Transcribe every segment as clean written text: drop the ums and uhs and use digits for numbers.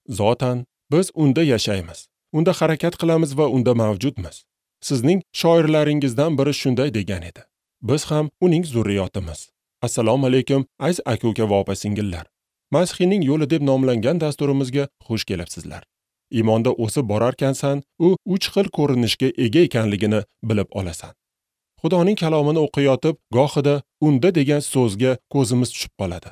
Zotan biz unda yashaymiz, unda harakat qilamiz va unda mavjudmiz. Sizning shoirlaringizdan biri shunday degan edi. Biz ham uning zurriyotimiz. Assalomu alaykum, aziz aka-uka va opa-singillar. Masihiyning yo'li deb nomlangan dasturimizga xush kelibsizlar. Iymonda o'sib borarkansan, u uch xil ko'rinishga ega ekanligini bilib olasan. Xudoning kalomini o'qiyotib, gohida unda degan so'zga ko'zimiz tushib qoladi.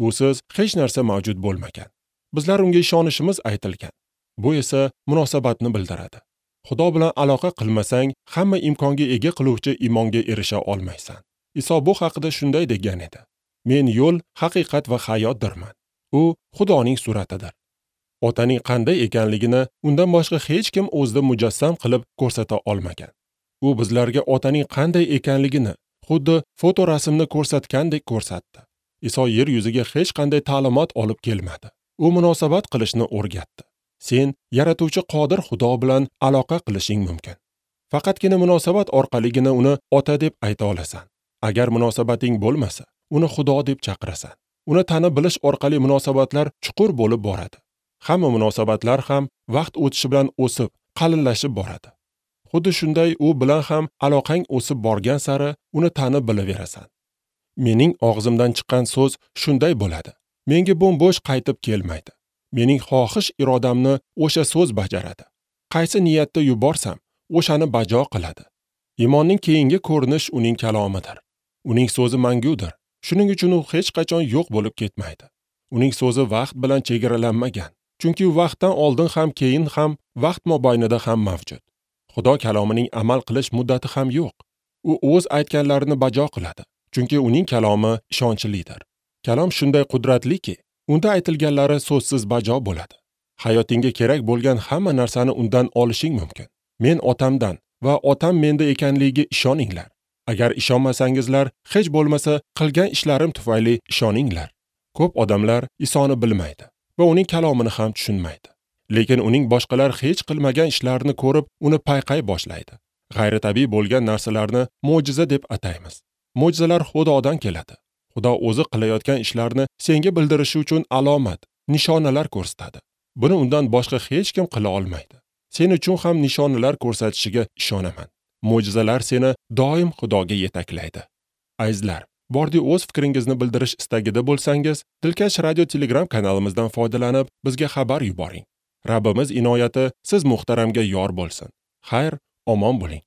Usiz hech narsa mavjud bo'lmagan. Bizlar unga ishonishimiz aytilgan. Bu esa munosabatni bildiradi. Xudo bilan aloqa qilmasang, hamma imkonga ega qiluvchi iymonga erisha olmaysan. Iso bu haqida shunday degan edi: Men yo'l, haqiqat va hayotdirman. U Xudoning suratidir. Otaning qanday ekanligini undan boshqa hech kim o'zida mujassam qilib ko'rsata olmagan. U bizlarga otaning qanday ekanligini xuddi fotorasmni ko'rsatgandek ko'rsatdi. Iso yer yuziga hech qanday ta'limot olib kelmadi. U munosabat qilishni o'rgatdi. Sen yaratuvchi qodir Xudo bilan aloqa qilishing mumkin. Faqatgina munosabat orqaligina uni ota deb ayta olasan. Agar munosabating bo'lmasa, uni Xudo deb chaqirasan. Uni tanib bilish orqali munosabatlar chuqur bo'lib boradi. Hamma munosabatlar ham vaqt o'tishi bilan o'sib, qalinlashib boradi. Xuddi shunday u bilan ham aloqang o'sib borgan sari uni tanib bilaverasan. Mening og'zimdan chiqqan so'z shunday bo'ladi. Menga bo'm-bo'sh qaytib kelmaydi. Mening xohish irodamni o'sha so'z bajaradi. Qaysi niyatda yuborsam, o'shani bajo qiladi. Iymonning keyingi ko'rinish uning kalomidir. Uning so'zi mangudir. Shuning uchun u hech qachon yo'q bo'lib ketmaydi. Uning so'zi vaqt bilan chegaralanmagan. Chunki u vaqtdan oldin ham, keyin ham, vaqt mobaynida ham mavjud. Xudo kalomining amal qilish muddati ham yo'q. U o'z aytganlarini bajo qiladi. Chunki uning kalomi ishonchlidir. Kalom shunday qudratliki, unda aytilganlari so'zsiz bajo bo'ladi. Hayotingga kerak bo'lgan hamma narsani undan olishing mumkin. Men otamdan va otam menda ekanligiga ishoninglar. Agar ishonmasangizlar, hech bo'lmasa qilgan ishlarim tufayli ishoninglar. Ko'p odamlar Isoni bilmaydi va uning kalomini ham tushunmaydi. Lekin uning boshqalar hech qilmagan ishlarini ko'rib, uni payqay boshlaydi. G'ayritabiiy bo'lgan narsalarni mo'jiza deb ataymiz. Mo'jizalar Xudodan keladi. Xudo o'zi qilayotgan ishlarni senga bildirishi uchun alomat, nishonalar ko'rsatadi. Buni undan boshqa hech kim qila olmaydi. Sen uchun ham nishonalar ko'rsatishiga ishonaman. Mo'jizalar seni doim Xudoga yetaklaydi. Azizlar, bordi o'z fikringizni bildirish istagida bo'lsangiz, Dilkash radio Telegram kanalimizdan foydalanib, bizga xabar yuboring. Rabbimiz inoyati siz muhtaramga yor bo'lsin. Xayr, omon bo'ling.